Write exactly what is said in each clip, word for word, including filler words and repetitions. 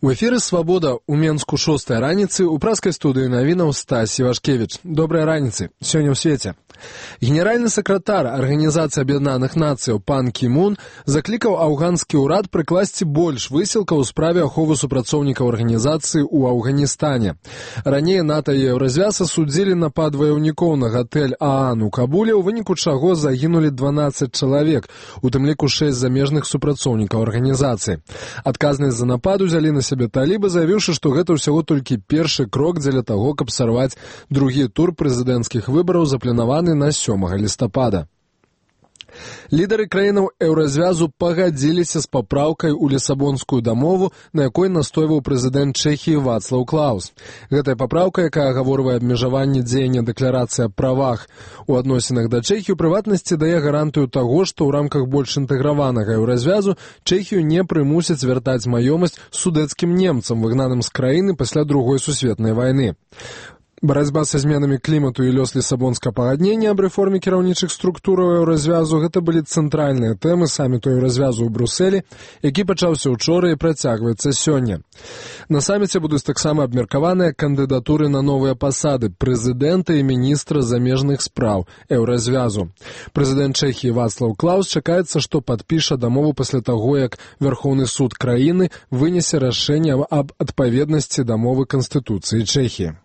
У эфіры «Свабода» у Менску шостай раніцы у праскай студыі навінаў Стась Івашкевіч. Добрай раніцы. Сёння ў свеце. Генеральны сакратар Арганізацыі Аб'яднаных Нацыяў пан Кі Мун заклікаў афганскі ўрад прыкласці больш высілкаў у справе аховы супрацоўнікаў арганізацыі ў Афганістане. Раней НАТО і Еўразвяз асудзілі напад ваяўнікоў на гатэль Аан у Кабуле, у выніку чаго загінулі дванаццаць чалавек, у тым ліку шэсць замежных супрацоўнікаў арганізацыі. Адказнасць за напад узялі на сябе талібы, заявіўшы, што гэта ўсяго толькі першы крок дзеля таго, каб сарваць другі тур прэзідэнцкіх выбараў, запланаваны на сёмага лістапада. Лідары краінаў Еўразвязу пагадзіліся з папраўкай у Лісабонскую дамову, на якой настойваў прэзідэнт Чэхіі Вацлаў Клаус. Гэтая папраўка, якая агаворвае абмежаванне дзеяння дэкларацыі аб правах у адносінах да Чэхіі, у прыватнасці дае гарантыю таго, што ў рамках больш інтэграванага Еўразвязу Чэхію не прымусяць вяртаць маёмасць судэцкім немцам, выгнаным з краіны пасля другой сусветнай вайны. Барацьба са зменамі клімату і лёс Лісабонскага пагаднення аб рэформе кіраўнічых структураў Еўразвязу – гэта былі цэнтральныя тэмы саміту Еўразвязу ў Брусэлі, які пачаўся ўчора і працягваецца сёння. На саміце будуць таксама абмеркаваныя кандыдатуры на новыя пасады прэзідэнта і міністра замежных спраў Еўразвязу. Прэзідэнт Чэхіі Вацлаў Клаус чакаецца, што падпіша дамову пасля таго, як Вярхоўны суд краіны вынесе рашэнне аб адпаведнасці дамовы Канстытуцыі Чэхіі.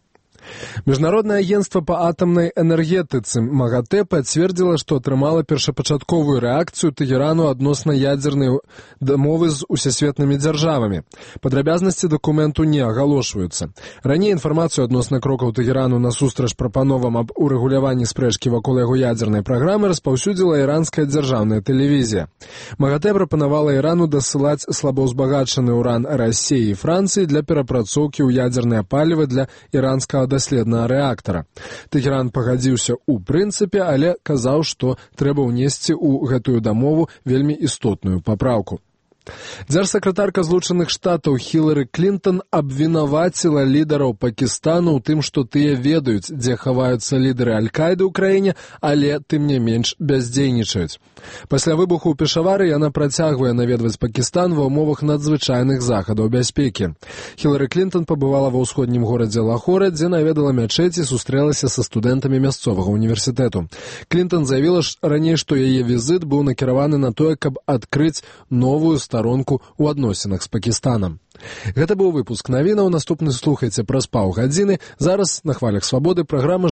Міжнароднае агенцтва па атамнай энергетыцы МАГАТЭ пацвердзіла, што атрымала першапачатковую рэакцыю Тэгерану адносна ядзернай дамовы з усесветнымі дзяржавамі. Падрабязнасці дакументу не агалошваюцца. Раней інфармацыю адносна крокаў Тэгерану насустрач прапановам аб урэгуляванні спрэчкі вакол яго ядзернай праграмы распаўсюдзіла іранская дзяржаўная тэлевізія. МАГАТЭ прапанавала Ірану дасылаць слабаўзбагачаны ўран Расіі і Францыі для перапрацоўкі ў ядзернае паліва для іранскага даследнага рэактара. Тэгеран пагадзіўся ў прынцыпе, але казаў, што трэба ўнесці ў гэтую дамову вельмі істотную папраўку. Дзяржсакратарка Злучаных Штатаў Хілары Клінтон абвінаваціла лідараў Пакістану ў тым, што тыя ведаюць, дзе хаваюцца лідары Аль-Каіды ў краіне, але, тым не менш, бяздзейнічаюць. Пасля выбуху ў Пешавары яна працягвае наведваць Пакістан ва ўмовах надзвычайных захадаў бяспекі. Хілары Клінтон пабывала ва ўсходнім горадзе Лахоре, дзе наведала мячэць і сустрэлася са студэнтамі мясцовага універсітэту. Клінтон заявіла раней, што яе візіт быў накіраваны на тое, каб адкрыць новую старонку ў адносінах з Пакістанам. Гэта быў выпуск навінаў. Наступны слухайце праз паўгадзіны. Зараз на хвалях Свабоды праграма